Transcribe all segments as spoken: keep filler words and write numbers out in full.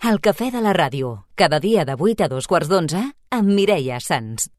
El cafè de la ràdio, cada dia de vuit a dos quarts d'onze, amb Mireia Sans.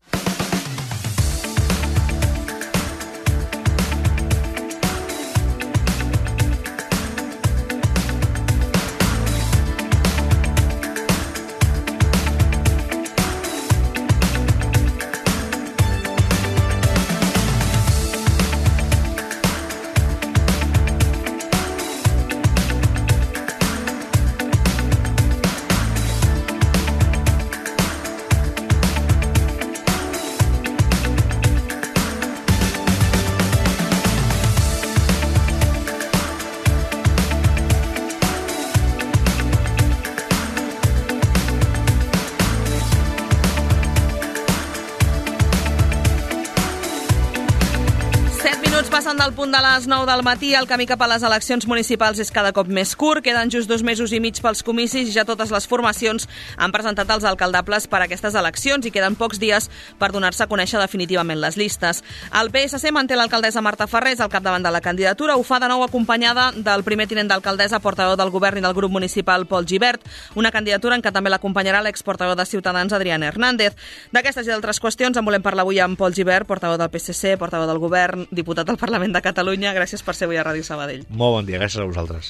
Passen del punt de les nou del matí, el camí cap a les eleccions municipals és cada cop més curt, queden just dos mesos i mig pels comicis i ja totes les formacions han presentat els alcaldables per a aquestes eleccions i queden pocs dies per donar-se a conèixer definitivament les llistes. El P S C manté l'alcaldessa Marta Ferrés al capdavant de la candidatura, ho fa de nou acompanyada del primer tinent d'alcaldessa, portaveu del govern i del grup municipal Pol Gibert, una candidatura en què també l'acompanyarà l'exportaveu de Ciutadans Adrián Hernández. D'aquestes i d'altres qüestions en volem parlar avui amb Pol Gibert, portaveu del P S C, portaveu del govern, diputat del Parlament de Catalunya. Gràcies per ser avui a Ràdio Sabadell. Molt bon dia, gràcies a vosaltres.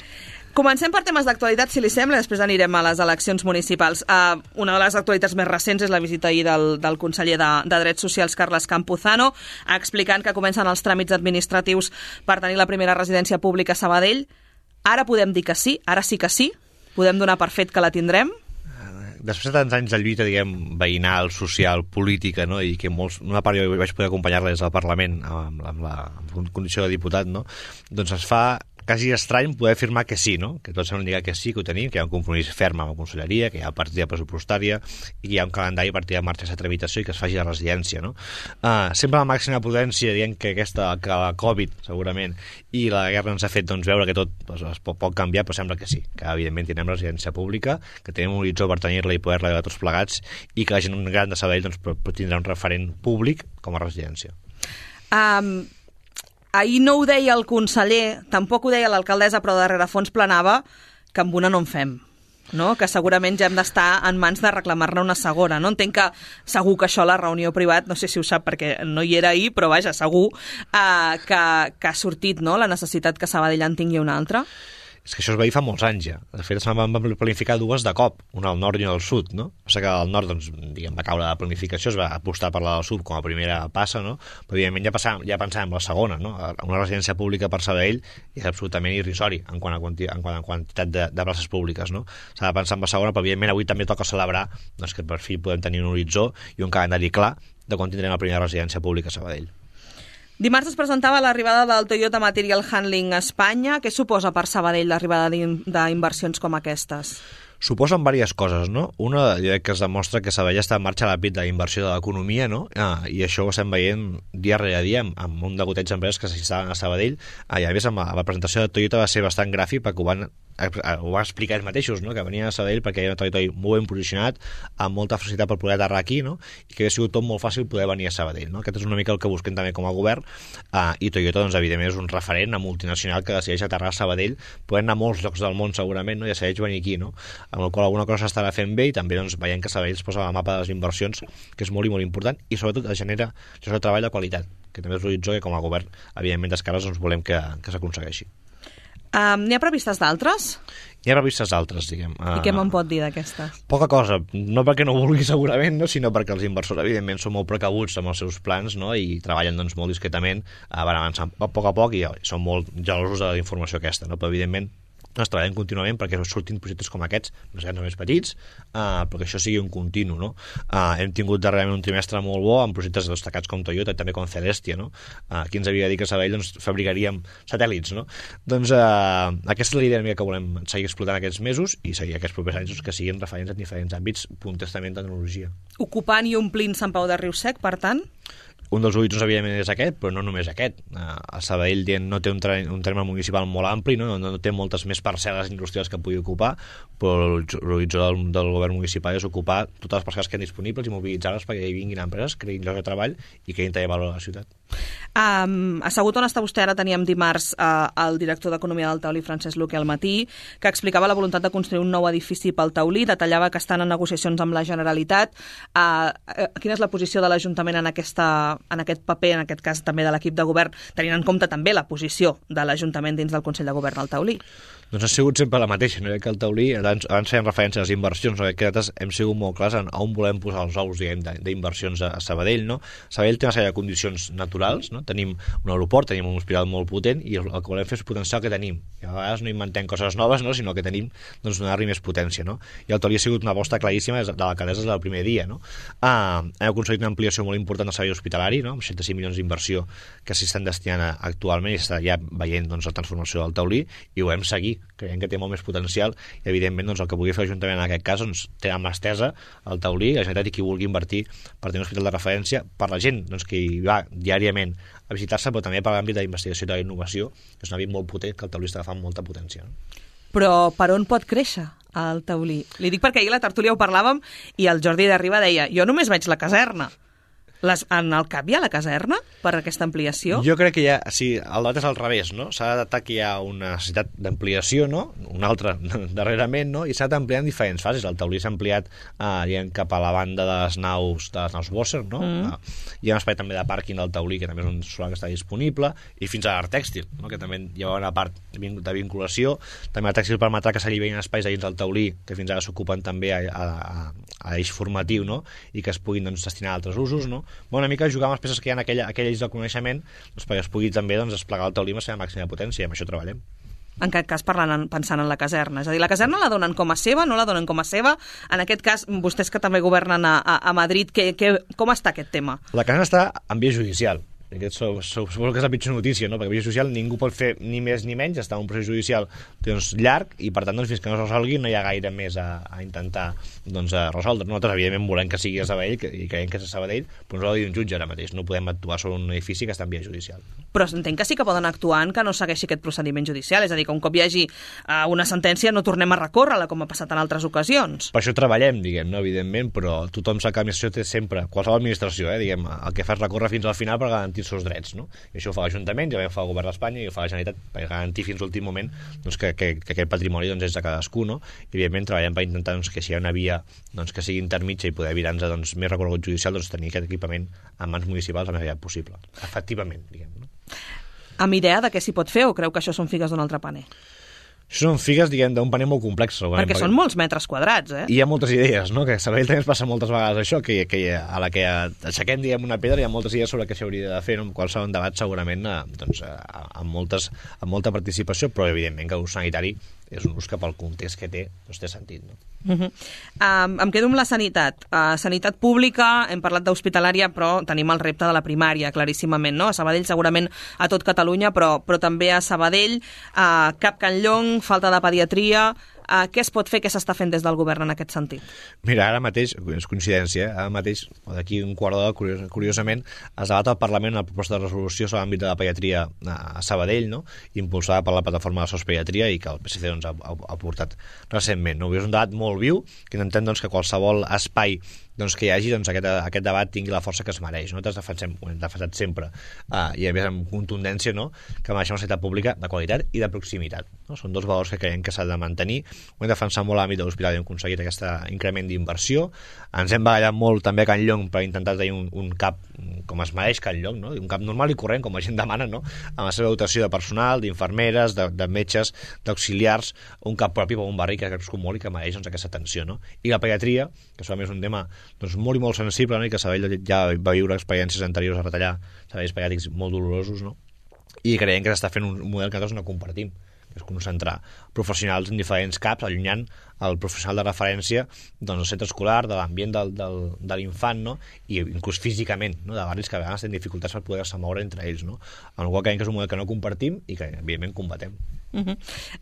Comencem per temes d'actualitat, si li sembla, després anirem a les eleccions municipals. Uh, una de les actualitats més recents és la visita ahir del, del conseller de, de Drets Socials, Carles Campuzano, explicant que comencen els tràmits administratius per tenir la primera residència pública a Sabadell. Ara podem dir que sí, ara sí que sí, podem donar per fet que la tindrem. Després de tants anys de lluita, diguem, veïnal, social, política, no? I que molts, una part jo vaig poder acompanyar-la des del Parlament amb, amb la amb condició de diputat, no? Doncs es fa quasi estrany poder afirmar que sí, no? Que tots semblen indicar que sí, que ho tenim, que hi ha un compromís ferm amb la conselleria, que hi ha partida pressupostària i que hi ha un calendari per tirar en marxa aquesta tramitació i que es faci la residència, no? Uh, sempre la màxima prudència, dient que aquesta, que la Covid, segurament, i la guerra ens ha fet doncs, veure que tot doncs, es pot, pot canviar, però sembla que sí, que evidentment tindrem residència pública, que tenim un horitzó per tenir-la i poder-la veure tots plegats i que la gent gran de Sabadell doncs, tindrà un referent públic com a residència. Um... Ahir no ho deia el conseller, tampoc ho deia l'alcaldessa, però darrere fons planava que amb una no en fem, no? Que segurament ja hem d'estar en mans de reclamar-ne una segona. No? Entenc que segur que això a la reunió privat, no sé si ho sap perquè no hi era ahir, però vaja, segur eh, que, que ha sortit, no? La necessitat que Sabadell en tingui una altra. És que això es veia fa molts anys ja. De fet, es van planificar dues de cop, una al nord i una al sud, no? O sigui que al nord, doncs, diguem, va caure la planificació, es va apostar per la del sud com a primera passa, no? Però, evidentment, ja, passàvem, ja pensàvem la segona, no? Una residència pública per Sabadell és absolutament irrisori en quant a, quanti, en quant a quantitat de, de places públiques, no? S'ha de pensar en la segona, però, evidentment, avui també toca celebrar doncs, que per fi podem tenir un horitzó i un calendari clar de quan tindrem la primera residència pública a Sabadell. Dimarts es presentava l'arribada del Toyota Material Handling a Espanya. Què suposa per Sabadell l'arribada d'inversions com aquestes? Suposen diverses coses, no? Una, jo crec que es demostra que Sabadell està en marxa a l'àmbit de la inversió de l'economia, no? Ah, i això ho estem veient dia rere dia amb, amb un degoteig d'empreses que s'instal·len a Sabadell. Ah, i a més, amb la, la presentació de Toyota va ser bastant gràfic perquè ho van ho va explicar ells mateixos, no? Que venien a Sabadell perquè hi ha un territori molt ben posicionat, amb molta facilitat per poder aterrar aquí, no? I que ha sigut tot molt fàcil poder venir a Sabadell, no? Aquest és una mica el que busquem també com a govern, uh, i Toyota, doncs, evidentment, és un referent, una multinacional que decideix aterrar a Sabadell, podent anar a molts llocs del món segurament, no? I decideix venir aquí, no? Amb el qual alguna cosa s'estarà fent bé i també doncs, veiem que Sabadell es posa al mapa de les inversions, que és molt i molt important, i sobretot es genera llocs de treball de qualitat, que també és l'horitzó que com a govern, evidentment, d'esquerres doncs, volem que, que s'aconsegueixi. Um, N'hi ha previstes d'altres? Hi ha previstes d'altres, diguem. I què me'n pot dir d'aquestes? Poca cosa, no perquè no vulgui segurament, no? Sinó perquè els inversors, evidentment, són molt precabuts amb els seus plans, no? I treballen doncs, molt discretament, uh, van avançant a poc a poc i són molt gelosos de la informació aquesta, no? Però, evidentment, ens treballem contínuament perquè surtin projectes com aquests, més grans o més petits, uh, perquè això sigui un continu, no? Uh, hem tingut darrerament un trimestre molt bo amb projectes destacats com Toyota i també com Celestia, no? Uh, qui ens havia dit que a Sabadell doncs, fabricaríem satèl·lits, no? Doncs uh, aquesta és la idea que volem seguir explotant aquests mesos i seguir aquests propers anys que siguin referents en diferents àmbits, punters també en tecnologia. Ocupant i omplint Sant Pau de Riu Sec, per tant? Un dels horitzons, evidentment, és aquest, però no només aquest. A Sabadell no té un, un terme municipal molt ampli, no? no té moltes més parcel·les industrials que pugui ocupar, però l'horitzó del, del govern municipal és ocupar totes les parcel·les que han disponibles i mobilitzar-les perquè hi vinguin empreses, creïn llocs de treball i creïn també valor a la ciutat. Um, assegut on està vostè ara, teníem dimarts uh, el director d'Economia del Taulí, Francesc Luque, al matí, que explicava la voluntat de construir un nou edifici pel Taulí, detallava que estan en negociacions amb la Generalitat. Uh, uh, quina és la posició de l'Ajuntament en, aquesta, en aquest paper, en aquest cas també de l'equip de govern, tenint en compte també la posició de l'Ajuntament dins del Consell de Govern al Taulí? Doncs ha sigut sempre la mateixa, no? Que el Taulí, abans, abans feien referència a les inversions, no? Que nosaltres hem sigut molt clars en on volem posar els ous, diguem, d'inversions a Sabadell, no? Sabadell té una sèrie de condicions naturals, no? Tenim un aeroport, tenim un hospital molt potent i el que volem fer és potenciar el que tenim. I a vegades no inventem coses noves, no? Sinó que tenim, doncs, donar-li més potència, no? I el Taulí ha sigut una aposta claríssima de l'alcaldessa des del primer dia, no? Ah, hem aconseguit una ampliació molt important del servei hospitalari, no? Amb seixanta-cinc milions d'inversió que s'hi estan destinant actualment i està ja veient, doncs, la transformació del Taulí i ho hem seguit. Creiem que té molt més potencial i evidentment doncs, el que pugui fer l'Ajuntament en aquest cas doncs, té amb l'estesa el Taulí, la Generalitat i qui vulgui invertir per tenir un hospital de referència per la gent doncs, que hi va diàriament a visitar-se, però també per l'àmbit d'investigació i de la innovació, que és un àmbit molt potent que el Taulí està agafant molta potència. No? Però per on pot créixer el Taulí? Li dic perquè ahir a la tertúlia ho parlàvem i el Jordi de Riba deia jo només veig la caserna. Les, en el cap hi ha la caserna per aquesta ampliació? Jo crec que hi ha, sí, el debat és al revés, no? S'ha d'adaptar que hi ha una necessitat d'ampliació, no? Una altra darrerament, no? I s'ha d'ampliar en diferents fases. El Taulí s'ha ampliat eh, diguem, cap a la banda de les naus de les naus Bosser, no? Mm. Eh, hi ha un espai també de pàrquing del Taulí, que també és un solar que està disponible, i fins a l'art tèxtil, no? Que també hi ha una part de vinculació. També el tèxtil permetrà que s'alliberin espais dins del Taulí, que fins ara s'ocupen també a, a, a, a eix formatiu, no? I que es puguin doncs, destinar a altres usos, no? Bueno, una mica jugar amb les peces que hi ha en aquella, aquella eix del coneixement doncs, perquè es pugui també doncs, desplegar el Taulí amb la seva màxima potència, i amb això treballem. En aquest cas parlant, pensant en la caserna, és a dir, la caserna la donen com a seva, no la donen com a seva? En aquest cas, vostès que també governen a, a, a Madrid, que, que, com està aquest tema? La caserna està en via judicial. Aquest suposo que és la pitjor notícia, no? Perquè la via judicial ningú pot fer ni més ni menys, està en un procés judicial doncs, llarg i per tant doncs, fins que no es resolgui no hi ha gaire més a, a intentar doncs, a resoldre. Nosaltres evidentment volem que sigui a Sabadell que, i creiem que és a Sabadell, però ens ho ha de dir un jutge ara mateix, no podem actuar sobre un edifici que està en via judicial. Però entenc que sí que poden actuar en que no segueixi aquest procediment judicial, és a dir, que un cop hi hagi uh, una sentència no tornem a recórrer-la com ha passat en altres ocasions. Per això treballem, diguem, no? Evidentment, però tothom sap que l'administració té sempre, qualsevol administració, eh, diguem, el que fa és recórrer fins al final per garantir els seus drets, no? I això ho fa l'Ajuntament, ja ho fa el Govern d'Espanya i ho fa la Generalitat per garantir fins a l'últim moment doncs, que, que, que aquest patrimoni doncs, és de cadascú, no? I evidentment treballem per intentar doncs, que si hi ha una via doncs, que sigui intermitja i poder evitar-nos doncs, més recorregut judicial, doncs, tenir aquest equipament en mans municipals el més aviat possible, efectivament, diguem, no? Amb idea de què s'hi pot fer o creu que això són figues d'un altre paner? Això són figues, diguem, d'un paner molt complex. Perquè, perquè són molts metres quadrats, eh? I hi ha moltes idees, no? Que a Sabadell també ens passa moltes vegades això, que, que a la que aixequem, diguem, una pedra hi ha moltes idees sobre què s'hauria de fer, no? Qual serà un debat segurament doncs, amb, moltes, amb molta participació, però evidentment que l'ús sanitari és un ús que pel context que té doncs té sentit, no? Uh -huh. um, em quedo amb la sanitat. Uh, sanitat pública, hem parlat d'hospitalària, però tenim el repte de la primària, claríssimament, no? A Sabadell segurament a tot Catalunya, però, però també a Sabadell, uh, Cap Can Llong, falta de pediatria. Uh, què es pot fer, què s'està fent des del govern en aquest sentit? Mira, ara mateix, és coincidència, eh? Ara mateix, d'aquí un quart d'hora, curios, curiosament, es debat al Parlament una proposta de resolució sobre l'àmbit de la pediatria a Sabadell, no? Impulsada per la plataforma de Sospediatria i que el P S C doncs, ha, ha, ha portat recentment, no? És un debat molt viu, que intentem doncs, que qualsevol espai doncs, que hi hagi doncs, aquest, aquest debat tingui la força que es mereix. Nosaltres defensem, ho hem defensat sempre, uh, i a més amb contundència, no? Que mereixem una sanitat pública de qualitat i de proximitat. No? Són dos valors que creiem que s'ha de mantenir. Ho hem defensat molt a l'àmbit de l'hospital i hem aconseguit aquest increment d'inversió. Ens hem bagallat molt també a Can Llong per intentar tenir un, un cap com es mereix Can Llong, no? Un cap normal i corrent, com la gent demana, no? Amb la seva dotació de personal, d'infermeres, de, de metges, d'auxiliars, un cap propi per un barri que és molt i que mereix doncs, aquesta atenció, no? I la pediatria, que és un tema doncs, molt i molt sensible, no? I que Sabadell ja va viure experiències anteriors a retallar serveis pediàtrics molt dolorosos, no? I creiem que s'està fent un model que nosaltres no compartim, que és concentrar professionals en diferents caps, allunyant el professional de referència doncs, del centre escolar, de l'ambient del, del, de l'infant, no? I inclús físicament, no? De barris que a vegades tenen dificultats per poder-se moure entre ells, no? En el qual creiem que és un model que no compartim i que evidentment combatem. Uh -huh.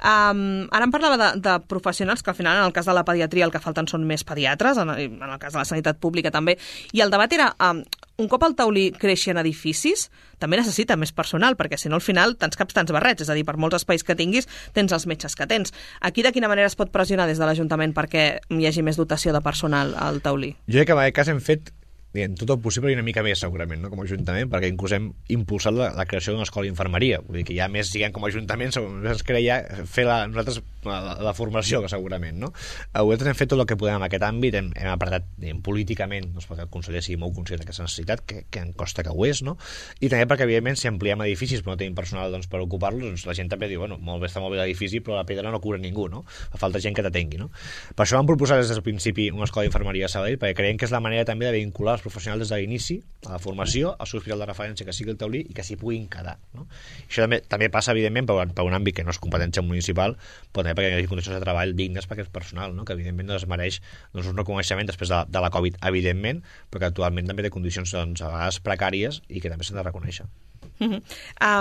um, ara em parlava de, de professionals que al final en el cas de la pediatria el que falten són més pediatres, en, en el cas de la sanitat pública també, i el debat era um, un cop el taulí creixi en edificis també necessita més personal, perquè si no al final tants caps tants barrets, és a dir, per molts espais que tinguis tens els metges que tens. Aquí de quina manera es pot pressionar des de l'Ajuntament perquè hi hagi més dotació de personal al taulí? Jo crec que en aquest cas hem fet diguem, tot el possible i una mica més segurament, no? Com a Ajuntament, perquè inclús hem impulsat la, la creació d'una escola d'infermeria, vull dir que ja més, diguem, com a Ajuntament ens creia fer la, nosaltres la, la formació, que segurament, no? Nosaltres hem fet tot el que podem en aquest àmbit, hem, hem apretat diguem, políticament, doncs, perquè el conseller sigui molt conscient d'aquesta necessitat, que, que em costa que ho és, no? I també perquè, evidentment, si ampliem edificis però no tenim personal doncs, per ocupar-los, doncs la gent també diu, bueno, molt bé, està molt bé l'edifici, però la pedra no cura ningú, no? Fa falta gent que t'atengui, no? Per això vam proposar des del principi una escola d'infermeria a Sabadell, perquè creiem que és la manera també de vincular els professionals des de l'inici, a la formació, al seu hospital de referència que sigui el taulí i que s'hi puguin quedar, no? Això també, també passa, evidentment, per, per un àmbit que no és competència municipal, però també perquè hi hagi condicions de treball dignes per aquest personal, no? Que evidentment es mereix doncs, un reconeixement després de, de la Covid, evidentment, però que actualment també té condicions doncs, a vegades precàries i que també s'han de reconèixer. Uh -huh.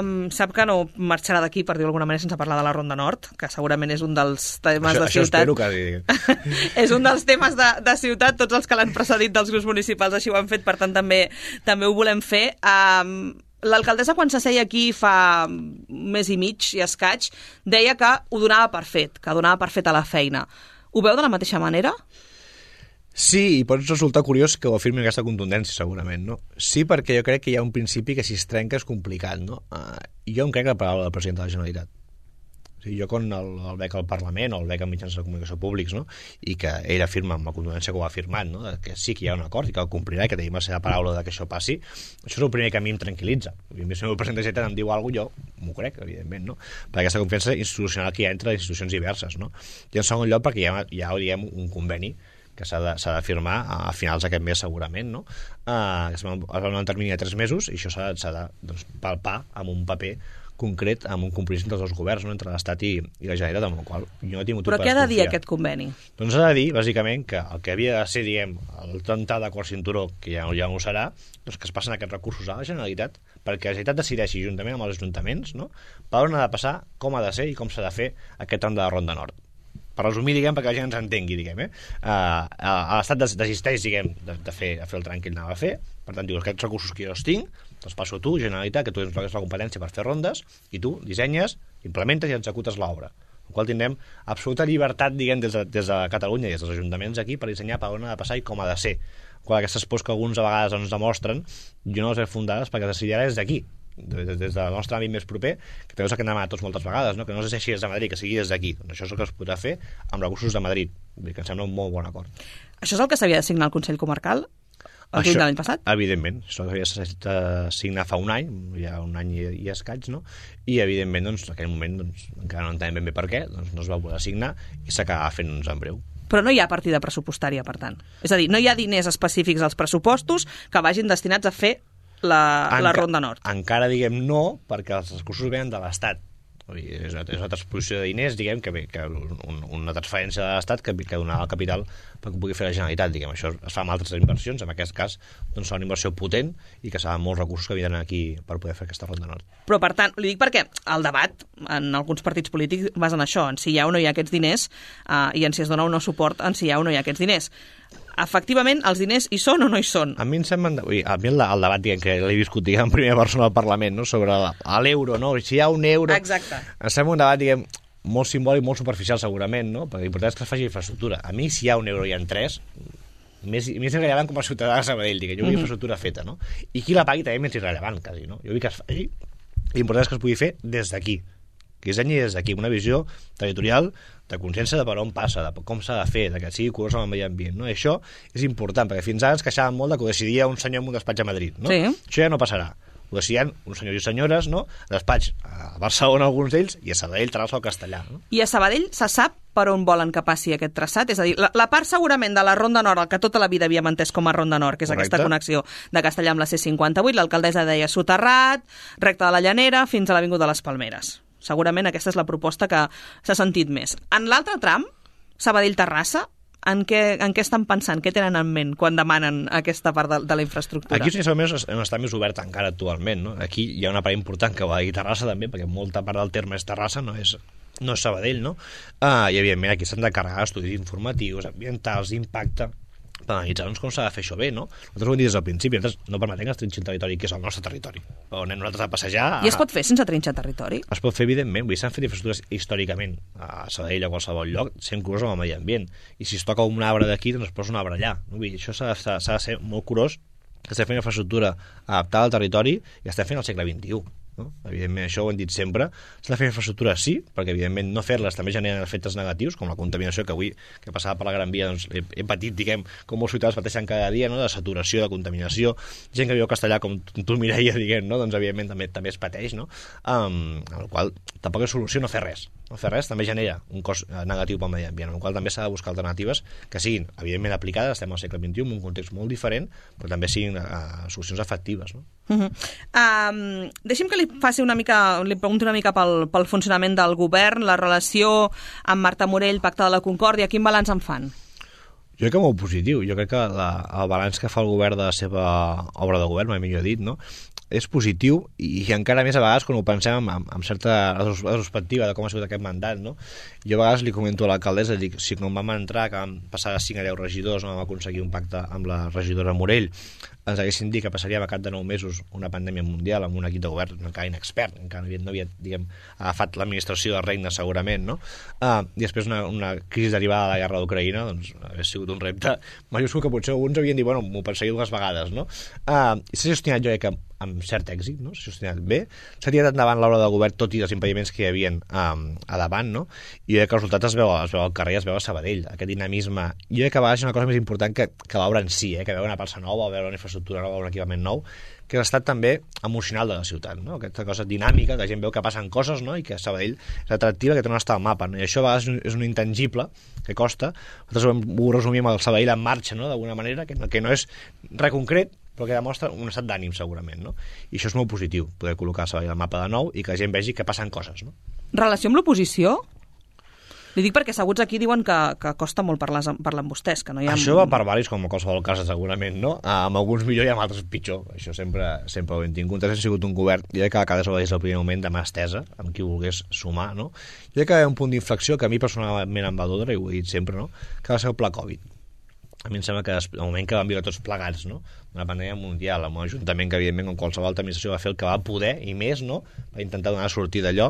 um, sap que no marxarà d'aquí, per dir-ho d'alguna manera, sense parlar de la Ronda Nord, que segurament és un dels temes això, de això ciutat. Espero que... És un dels temes de, de ciutat, tots els que l'han precedit dels grups municipals així ho han fet, per tant també, també ho volem fer. Um, L'alcaldessa, quan s'asseia aquí fa un mes i mig i escaig, deia que ho donava per fet, que donava per fet a la feina. Ho veu de la mateixa manera? Sí, i pot resultar curiós que ho afirmi aquesta contundència, segurament, no? Sí, perquè jo crec que hi ha un principi que si es trenca és complicat, no? Uh, jo em crec la paraula del president de la Generalitat. O sigui, jo quan el, el veig al Parlament o el veig en mitjans de comunicació públics, no? I que ell afirma amb la contundència que ho ha afirmat, no? Que sí que hi ha un acord i que el complirà i que tenim la seva paraula de que això passi, això és el primer que a mi em tranquil·litza. Si el meu president de la Generalitat em diu alguna cosa, jo m'ho crec, evidentment, no? Per aquesta confiança institucional que hi ha entre institucions diverses, no? I en segon lloc perquè hi ha, hi ha diguem, un conveni que s'ha de, s'ha de firmar a finals d'aquest mes segurament, no? Uh, es va donar un termini de tres mesos i això s'ha, s'ha de doncs, palpar amb un paper concret, amb un compromís entre els dos governs, no? Entre l'Estat i, i la Generalitat, amb el qual jo no he tingut... Però què ha de dir aquest conveni? Doncs ha de dir, bàsicament, que el que havia de ser, diguem, el trenta d'acord cinturó, que ja, ja no ho serà, doncs que es passen aquests recursos a la Generalitat, perquè la Generalitat decideixi, juntament amb els ajuntaments, no? Per on ha de passar, com ha de ser i com s'ha de fer aquest tram de la Ronda Nord. Per resumir, diguem, perquè la gent ens entengui, diguem, eh? Uh, l'Estat desisteix, diguem, de, de, fer, de fer el tram que ell anava a fer, per tant, diu, aquests recursos que jo els tinc, els passo a tu, Generalitat, que tu tens la competència per fer rondes, i tu dissenyes, implementes i executes l'obra. En el qual tindrem absoluta llibertat, diguem, des de, des de Catalunya i des dels ajuntaments aquí per dissenyar per on ha de passar i com ha de ser. Quan aquestes pors que alguns a vegades ens demostren, jo no les he fundades perquè es decidirà des d'aquí, des, des del nostre àmbit més proper, que també és el que hem demanat tots moltes vegades, no? Que no es deixi des de Madrid, que sigui des d'aquí. Doncs això és el que es podrà fer amb recursos de Madrid, que em sembla un molt bon acord. Això és el que s'havia de signar al Consell Comarcal el juny de l'any passat? Evidentment, això s'havia de signar fa un any, ja un any i, i escaig, no? I evidentment, doncs, en aquell moment doncs, encara no entenem ben bé per què, doncs no es va poder signar i s'acaba fent-nos en breu. Però no hi ha partida pressupostària, per tant. És a dir, no hi ha diners específics als pressupostos que vagin destinats a fer la, Enca la Ronda Nord. Encara, diguem, no, perquè els recursos venen de l'Estat. És una, és una transposició de diners, diguem, que, que un, una transferència de l'Estat que, que donarà el capital perquè ho pugui fer la Generalitat, diguem. Això es fa amb altres inversions, en aquest cas doncs serà una inversió potent i que serà molts recursos que vindran aquí per poder fer aquesta Ronda Nord. Però, per tant, li dic perquè el debat en alguns partits polítics va en això, en si hi ha o no hi ha aquests diners uh, i en si es dona o no suport en si hi ha o no hi ha aquests diners. Efectivament, els diners hi són o no hi són? A mi em sembla... Ui, a mi el, el debat, diguem, que l'he viscut, diguem, en primera persona al Parlament, no?, sobre l'euro, no? Si hi ha un euro... Exacte. Em sembla un debat, diguem, molt simbòlic, molt superficial, segurament, no? Perquè l'important és que es faci infraestructura. A mi, si hi ha un euro i en tres, més, més irrellevant com a ciutadà de Sabadell, diguem, jo vull mm-hmm. infraestructura feta, no? I qui la pagui també més irrellevant, quasi, no? Jo vull que es faci... L'important és que es pugui fer des d'aquí. Que dissenyi des d'aquí una visió territorial de consciència de per on passa, de com s'ha de fer, de que sigui curós amb el medi ambient, no? I això és important, perquè fins ara ens queixàvem molt de que ho decidia un senyor en un despatx a Madrid, no? Sí. Això ja no passarà. Ho decidien uns senyors i senyores, no? Despatx a Barcelona, alguns d'ells, i a Sabadell, Terrassa o Castellà, no? I a Sabadell se sap per on volen que passi aquest traçat? És a dir, la, la part segurament de la Ronda Nord, el que tota la vida havíem entès com a Ronda Nord, que és Correcte. Aquesta connexió de Castellà amb la C cinquanta-vuit, l'alcaldessa deia soterrat, recta de la Llanera, fins a l'Avinguda de les Palmeres. Segurament aquesta és la proposta que s'ha sentit més. En l'altre tram, Sabadell-Terrassa, en què, en què estan pensant? Què tenen en ment quan demanen aquesta part de, de la infraestructura? Aquí més, està més obert encara actualment, no? Aquí hi ha una part important que va a Terrassa també, perquè molta part del terme és Terrassa, no és, no és Sabadell, no? Uh, I evidentment aquí s'han de carregar estudis informatius, ambientals, d'impacte, per analitzar doncs, com s'ha de fer això bé, no? Nosaltres ho hem dit des del principi, nosaltres no permetem que es trinxi el territori, que és el nostre territori. Però anem nosaltres a passejar... I es pot fer sense trinxar territori? Es pot fer, evidentment. Vull dir, s'han fet infraestructures històricament a Sabadell, a qualsevol lloc, sent curós amb el medi ambient. I si es toca un arbre d'aquí, doncs es posa un arbre allà. No? Vull dir, això s'ha de, s'ha de ser molt curós, que estem fent infraestructura adaptada al territori i estem fent al segle vint-i-u. No? Evidentment, això ho hem dit sempre, s'ha de fer infraestructura sí, perquè evidentment no fer-les també generen efectes negatius, com la contaminació que avui que passava per la Gran Via doncs, he, he patit, diguem, com molts ciutadans pateixen cada dia, no? De saturació, de contaminació, gent que viu a Castellà com tu, Mireia, diguem, no? Doncs evidentment també també es pateix, no? Um, amb el qual tampoc és solució no fer res. No fer res també genera un cost negatiu pel medi ambient, amb el qual també s'ha de buscar alternatives que siguin, evidentment, aplicades, estem al segle vint-i-u, en un context molt diferent, però també siguin uh, solucions efectives, no? Uh -huh. um, deixi'm que li faci una mica, li pregunti una mica pel, pel funcionament del govern, la relació amb Marta Morell, Pacte de la Concòrdia, quin balanç en fan? Jo crec que molt positiu. Jo crec que la, el balanç que fa el govern de la seva obra de govern, mai millor dit, no? És positiu i, i encara més a vegades quan ho pensem amb, amb, amb certa retrospectiva de com ha sigut aquest mandat, no? Jo a vegades li comento a l'alcaldessa, dic, si quan vam entrar, que vam passar de cinc a deu regidors, no vam aconseguir un pacte amb la regidora Morell, ens haguessin dit que passaríem a cap de nou mesos una pandèmia mundial amb un equip de govern encara inexpert, encara no havia, no havia diguem, agafat l'administració del regne segurament, no? Uh, i després una, una crisi derivada de la guerra d'Ucraïna, doncs hauria sigut un repte majúscul que potser alguns havien dit, bueno, m'ho pensaré dues vegades, no? Uh, i s'ha gestionat jo crec que amb cert èxit, no? S'ha gestionat bé, s'ha tirat endavant l'obra del govern tot i els impediments que hi havia um, a davant, no? I jo crec que els resultats es veu, es veu al carrer, es veu a Sabadell, aquest dinamisme. Jo crec que a vegades és una cosa més important que, que l'obra en si, eh? Que veure una plaça nova, veure una infraestructura nova, un equipament nou, que ha estat també emocional de la ciutat, no? Aquesta cosa dinàmica, que la gent veu que passen coses, no? I que Sabadell és atractiva, que té no està al mapa, no? I això a vegades és un, és un intangible que costa. Nosaltres ho, ho resumim al Sabadell en marxa, no? D'alguna manera, que no, que no és res concret, però que demostra un estat d'ànim segurament, no? I això és molt positiu, poder col·locar Sabadell al mapa de nou i que la gent vegi que passen coses, no? Relació amb l'oposició? Li dic perquè asseguts aquí diuen que, que costa molt parlar, parlar amb vostès, que no hi ha... Això va per varis, com a qualsevol cas, segurament, no? Amb alguns millor i amb altres pitjor. Això sempre, sempre ho hem tingut. Ha sigut un govern, jo crec que a cada des del primer moment de mà estesa, amb qui volgués sumar, no? Jo crec que hi ha un punt d'inflexió que a mi personalment em va doldre, i ho he dit sempre, no? Que va ser el pla Covid. A mi em sembla que el moment que vam viure tots plegats, no? Una pandèmia mundial, amb un ajuntament que, evidentment, com qualsevol altra administració va fer el que va poder, i més, no? Va intentar donar sortir d'allò,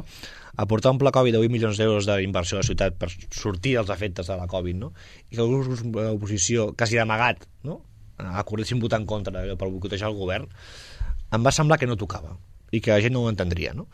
aportar un pla Covid de vuit milions d'euros d'inversió a la ciutat per sortir dels efectes de la Covid, no? I que alguns grups de l'oposició, quasi d'amagat, no? Acordessin votar en contra per boicotejar el govern, em va semblar que no tocava i que la gent no ho entendria, no?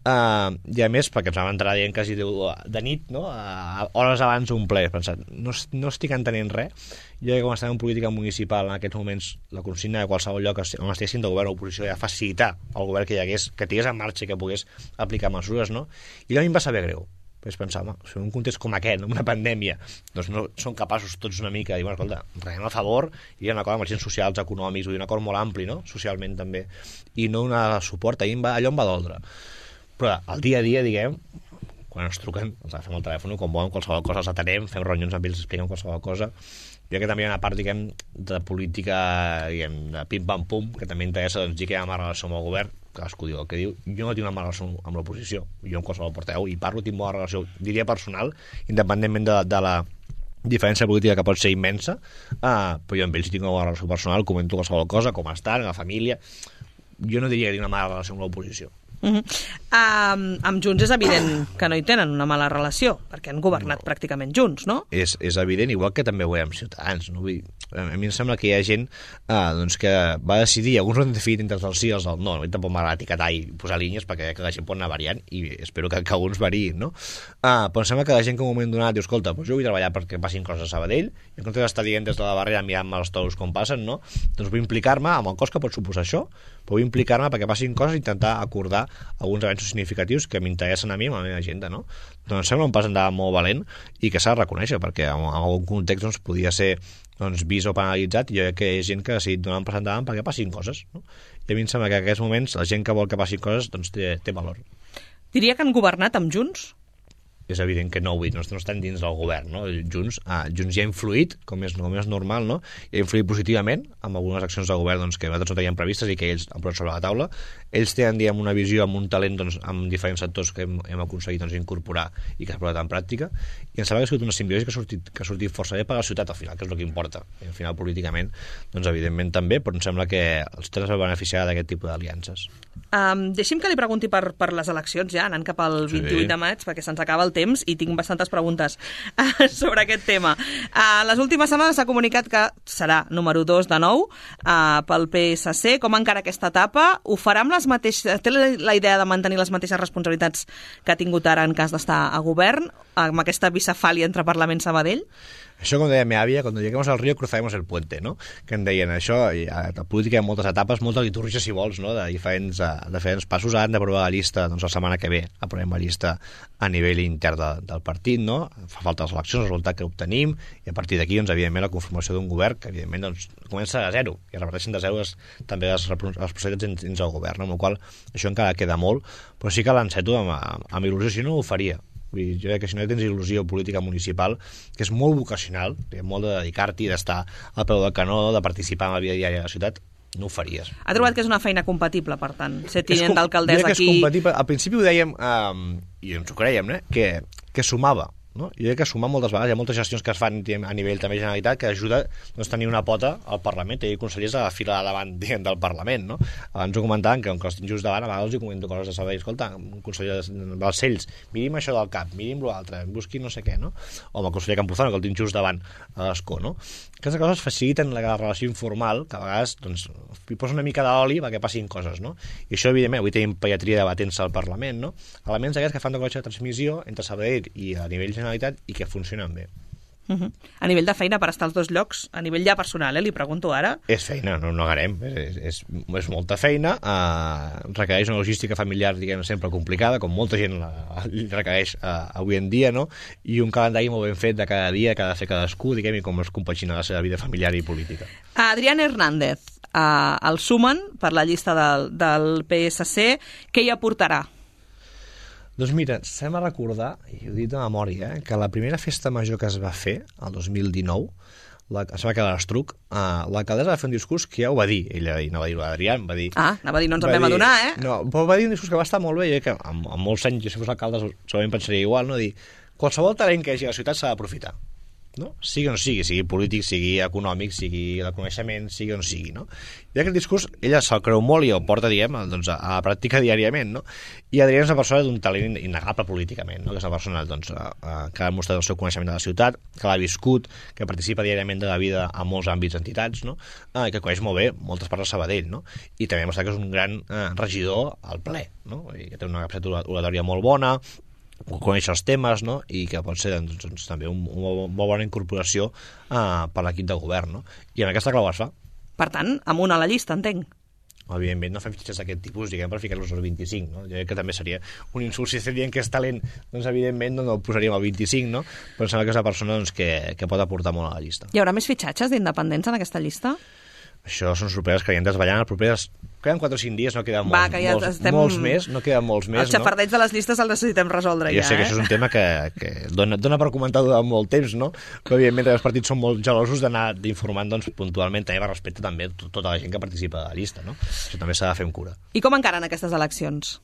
Uh, I a més, perquè ens vam entrar dient quasi de, de nit, no? Uh, hores abans d'un ple, he pensat, no, no estic entenent res. Jo crec que com estem en política municipal en aquests moments, la consigna de qualsevol lloc on estiguessin de govern o oposició era facilitar al govern que hi hagués, que tingués en marxa i que pogués aplicar mesures, no? I a mi em va saber greu. Vaig pensar, home, si en un context com aquest, una pandèmia, doncs no són capaços tots una mica de dir, bueno, escolta, renem a favor, i hi ha un acord amb els agents socials, econòmics, un acord molt ampli, no?, socialment també, i no donar suport, allò em va, allò em va doldre. Però al dia a dia, diguem, quan ens truquen, els agafem el telèfon, quan volen qualsevol cosa, els atenem, fem reunions amb ells, expliquem qualsevol cosa. Jo crec que també hi ha una part, diguem, de política, diguem, de pim-pam-pum, que també interessa, doncs, dir que hi ha una relació amb el govern, cadascú diu el que diu. Jo no tinc una mala relació amb l'oposició, jo amb qualsevol portaveu i parlo, tinc bona relació, diria personal, independentment de, de la diferència política que pot ser immensa, uh, però jo amb ells tinc una bona relació personal, comento qualsevol cosa, com estan, la família. Jo no diria que tinc una mala relació amb l'oposició. Uh -huh. um, amb Junts és evident que no hi tenen una mala relació, perquè han governat no. pràcticament junts, no? És, és evident, igual que també ho veiem amb Ciutadans, no? Vull dir, a mi em sembla que hi ha gent uh, doncs que va decidir, alguns ho han definit entre els sí i els del no, no tampoc m'agrada etiquetar i posar línies perquè que la gent pot anar variant i espero que, que alguns variïn, no? Uh, però em sembla que la gent que en un moment donat diu, escolta, doncs jo vull treballar perquè passin coses a Sabadell, i en comptes d'estar dient des de la barrera mirant-me els tous com passen, no? Doncs vull implicar-me amb el cost que pot suposar això, però vull implicar-me perquè passin coses i intentar acordar alguns avenços significatius que m'interessen a mi amb la meva agenda, no? Doncs sembla un pas endavant molt valent i que s'ha de reconèixer, perquè en algun context doncs, podia ser doncs, vist o penalitzat, i jo crec que hi ha gent que ha decidit donar un pas endavant perquè passin coses, no? I a mi em sembla que en aquests moments la gent que vol que passin coses doncs, té, té valor. Diria que han governat amb Junts? és evident que no, no, no estan dins del govern, no? Junts, ah, Junts ja ha influït, com és, com és normal, no? I ha influït positivament amb algunes accions de govern doncs, que nosaltres no teníem previstes i que ells han posat sobre la taula. Ells tenen, diguem, una visió amb un talent doncs, amb diferents sectors que hem, hem aconseguit doncs, incorporar i que s'ha posat en pràctica, i em sembla que ha sigut una simbiosi que ha sortit, que ha sortit força bé per la ciutat al final, que és el que importa. I al final, políticament, doncs, evidentment també, però em sembla que els ciutadans es beneficiaran d'aquest tipus d'aliances. Um, deixi'm que li pregunti per, per les eleccions ja, anant cap al vint-i-vuit de maig, perquè se'ns acaba el temps i tinc bastantes preguntes uh, sobre aquest tema. Uh, les últimes setmanes s'ha comunicat que serà número dos de nou uh, pel P S C. Com encara aquesta etapa? Ho farà amb les mateixes... Té la idea de mantenir les mateixes responsabilitats que ha tingut ara en cas d'estar a govern, amb aquesta bicefàlia entre Parlament i Sabadell? Això, com deia meva àvia, quan lleguemos al río cruzaremos el puente, no? Que em deien això, i a la política hi ha moltes etapes, moltes litúrgies, si vols, no? de, diferents, de diferents passos. Ara han d'aprovar la llista, doncs la setmana que ve aprovem la llista a nivell intern de, del partit, no? Fa falta les eleccions, el resultat que obtenim, i a partir d'aquí, doncs, evidentment, la conformació d'un govern que, evidentment, doncs, comença de zero, i es repeteixen de zero les, també les, les responsabilitats dins, dins del govern, no? Amb la qual això encara queda molt, però sí que l'enceto amb, amb il·lusió, si no ho faria. Vull dir, jo crec que si no tens il·lusió política municipal, que és molt vocacional, molt de dedicar-t'hi, d'estar al peu del canó, de participar en la vida diària de la ciutat, no ho faries. Ha trobat que és una feina compatible, per tant, ser tinent d'alcaldessa aquí... Jo crec que és compatible. Al principi ho dèiem, um, i ens ho creiem, eh? que, que sumava. No? Jo crec que sumar moltes vegades, hi ha moltes gestions que es fan a nivell també Generalitat que ajuda doncs, a tenir una pota al Parlament, tenir consellers a la fila de davant diguem, del Parlament, no? Abans ho comentaven que com que els tinc just davant, a vegades els comento coses de saber, escolta, un conseller dels Cells, mirim això del cap, mirim l'altre, busqui no sé què, no? O amb el conseller Campuzano, que el tinc just davant a l'escó, no? Aquestes coses faciliten la relació informal, que a vegades doncs, hi posa una mica d'oli perquè passin coses, no? I això, evidentment, avui tenim pediatria debatent-se al Parlament, no? Elements aquests que fan de col·lecció de transmissió entre Sabadell i a nivell Generalitat i que funcionen bé. Uh -huh. A nivell de feina per estar als dos llocs, a nivell ja personal, eh, li pregunto ara. És feina, no no negarem, és, és, és molta feina, eh, requereix una logística familiar, diguem, sempre complicada, com molta gent la, requereix eh, avui en dia, no? I un calendari molt ben fet de cada dia, que ha de fer cadascú, diguem, i com es compagina la seva vida familiar i política. Adrián Hernández, eh, el sumen per la llista del, del P S C, què hi aportarà? Doncs mira, s'hem de recordar, i ho he dit de memòria, eh, que la primera festa major que es va fer, el dos mil dinou, la, es va quedar a l'Estruc, eh, l'alcaldessa va fer un discurs que ja ho va dir, ella no va dir-ho a l'Adrián, va dir... Ah, anava a dir, no ens en vam adonar, eh? No, però va dir un discurs que va estar molt bé, jo que amb, amb molts anys, jo si fos alcalde, segurament pensaria igual, no? Dir, qualsevol talent que hi hagi a la ciutat s'ha d'aprofitar. No? Sigui o no sigui, sigui polític, sigui econòmic, sigui de coneixement, sigui o no sigui, no? I aquest discurs, ella se'l creu molt i el porta, diguem, doncs, a, a la pràctica diàriament, no? I Adrián és una persona d'un talent innegable políticament, no? Que és una persona doncs, a, a, que ha demostrat el seu coneixement de la ciutat, que l'ha viscut, que participa diàriament de la vida en molts àmbits entitats, no? Ah, i que coneix molt bé moltes parts de Sabadell, no? I també ha demostrat que és un gran eh, regidor al ple, no? I que té una capacitat oratòria molt bona, conèixer els temes, no? I que pot ser doncs, doncs, també un, una molt bona incorporació uh, per l'equip de govern, no? I en aquesta clau es fa. Per tant, amunt a la llista, entenc. Evidentment, no fem fitxes d'aquest tipus, diguem, per ficar-los als vint-i-cinc, no? Jo crec que també seria un insult si estem dient que és talent, doncs evidentment no, no el posaríem al vint-i-cinc, no? Però em sembla que és una persona doncs, que, que pot aportar molt a la llista. Hi haurà més fitxatges d'independents en aquesta llista? Això són sorpreses que hi hem desballant. Els propers... Queden quatre o cinc dies, no queden molts, Va, ja molts, estem... molts més, no queden molts més, Els xafardeig no? de les llistes els necessitem resoldre jo ja, sé que eh? això és un tema que, que dona, dona per comentar durant molt temps, no? Però evidentment els partits són molt gelosos d'anar informant doncs, puntualment, també per respecte també a tota la gent que participa de la llista, no? Això també s'ha de fer amb cura. I com encaren aquestes eleccions?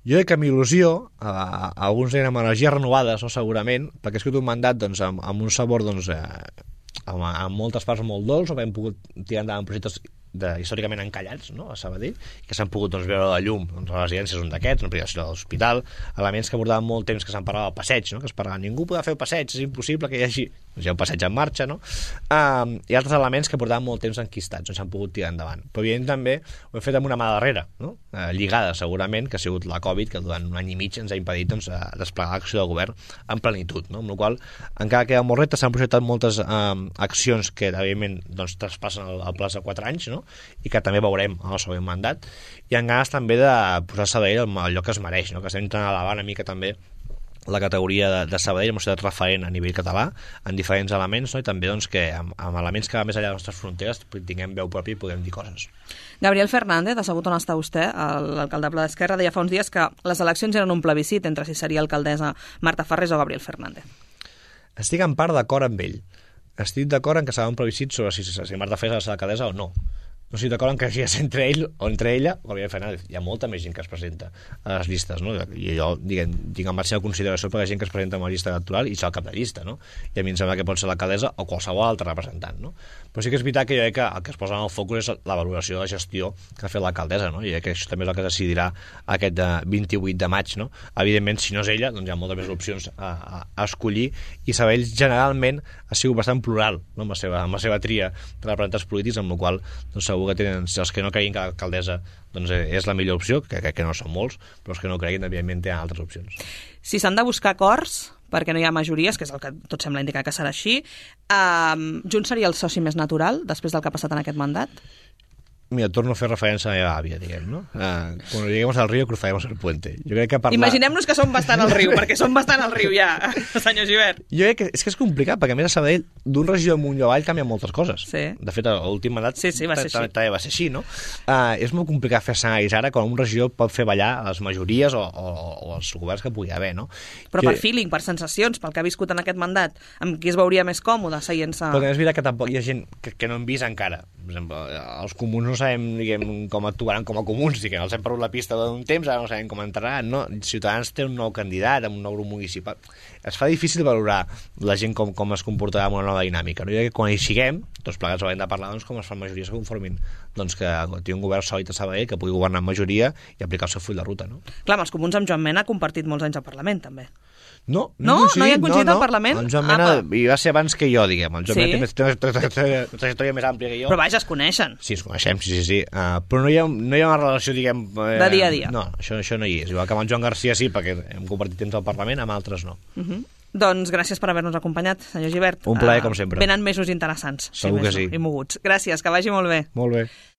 Jo crec que amb il·lusió, a, a alguns eren amb energies renovades, no, segurament, perquè ha escrit un mandat doncs, amb, amb un sabor doncs, eh, amb, amb moltes parts molt dolç, o hem pogut tirar endavant projectes de, històricament encallats, no? A Sabadell, que s'han pogut doncs, veure la llum, doncs, les residències són d'aquests, una privació de l'hospital, elements que portaven molt temps que se'n parlava del passeig, no? Que es parlava, ningú podrà fer el passeig, és impossible que hi hagi, doncs hi ha un passeig en marxa, no? Um, i altres elements que portaven molt temps enquistats, doncs s'han pogut tirar endavant. Però evident també ho hem fet amb una mà darrere, no? Uh, lligada segurament, que ha sigut la Covid, que durant un any i mig ens ha impedit doncs, desplegar l'acció del govern en plenitud, no? Amb la qual encara queda molt repte, s'han projectat moltes um, accions que evidentment doncs, traspassen el, el plaç de quatre anys, no? I que també veurem en el següent mandat, i en ganes també de posar Sabadell al lloc que es mereix, no? Que estem intentant elevar una mica també la categoria de, de Sabadell, una ciutat referent a nivell català, en diferents elements, no? I també doncs, que amb, amb elements que va més enllà de les nostres fronteres tinguem veu pròpia i podem dir coses. Gabriel Fernández, ha sabut on està vostè, l'alcaldable d'Esquerra, deia fa uns dies que les eleccions eren un plebiscit entre si seria alcaldessa Marta Farrés o Gabriel Fernández. Estic en part d'acord amb ell. Estic d'acord en que serà un plebiscit sobre si, si Marta Farrés serà alcaldessa o no. No estic d'acord en que sigui entre ell o entre ella o Gabriel Fernández. Hi ha molta més gent que es presenta a les llistes, no? I jo, diguem, tinc en màxima consideració per la gent que es presenta a una llista electoral i serà el cap de llista, no? I a mi em sembla que pot ser l'alcaldessa o qualsevol altre representant, no? Però sí que és veritat que jo crec que el que es posa en el focus és la valoració de la gestió que ha fet l'alcaldessa, no? I crec que això també és el que decidirà aquest vint-i-vuit de maig, no? Evidentment, si no és ella, doncs hi ha moltes més opcions a, a, a escollir, i Sabadell generalment ha sigut bastant plural, no? amb, la seva, amb la seva tria de representants polítics, amb la qual doncs, segur que tenen, els que no creguin que l'alcaldessa doncs, és la millor opció, que crec que no són molts, però els que no creguin, evidentment, tenen altres opcions. Si s'han de buscar acords, perquè no hi ha majories, que és el que tot sembla indicar que serà així, eh, Junts seria el soci més natural després del que ha passat en aquest mandat? Mira, torno a fer referència a la meva àvia, diguem, no? Uh, quan lleguemos al río, cruzaremos el puente. Jo crec que parlar... Imaginem-nos que som bastant al riu, perquè som bastant al riu ja, senyor Gibert. Jo crec que és que és complicat, perquè a més a Sabadell, d'un regió amunt i avall canvien moltes coses. Sí. De fet, l'últim mandat sí, sí, va ser així. també va ser així, no? Uh, és molt complicat fer escenaris ara quan un regió pot fer ballar a les majories o, o, o els governs que pugui haver, no? Però jo... per feeling, per sensacions, pel que ha viscut en aquest mandat, amb qui es veuria més còmode seient-se... Però és veritat que tampoc hi ha gent que, que no hem vist encara. Per exemple, els comuns no sabem, diguem, com actuaran com a comuns, diguem, els hem perdut la pista d'un temps, ara no sabem com entraran, no? Ciutadans té un nou candidat, amb un nou grup municipal. Es fa difícil valorar la gent com, com es comportarà amb una nova dinàmica. No? I que quan hi siguem, tots plegats haurem de parlar doncs, com es fan majories que conformin doncs, que tingui un govern sòlid a Sabadell, que pugui governar en majoria i aplicar el seu full de ruta. No? Clar, amb els comuns amb Joan Mena ha compartit molts anys al Parlament, també. No, no, no, no hi ha coincidit no, al Parlament? El Joan Mena hi va ser abans que jo, diguem. El Joan sí? Mena té una trajectòria més àmplia que jo. Però vaja, es coneixen. Sí, es coneixem, sí, sí, sí. Uh, però no hi, ha, no hi ha una relació, diguem... Eh, de dia a dia. No, això, això no hi és. Igual que amb el Joan Garcia sí, perquè hem compartit temps al Parlament, amb altres no. Uh -huh. Doncs gràcies per haver-nos acompanyat, senyor Gibert. Un plaer, uh, com sempre. Venen mesos interessants. Segur sí, que sí. I moguts. Gràcies, que vagi molt bé. Molt bé.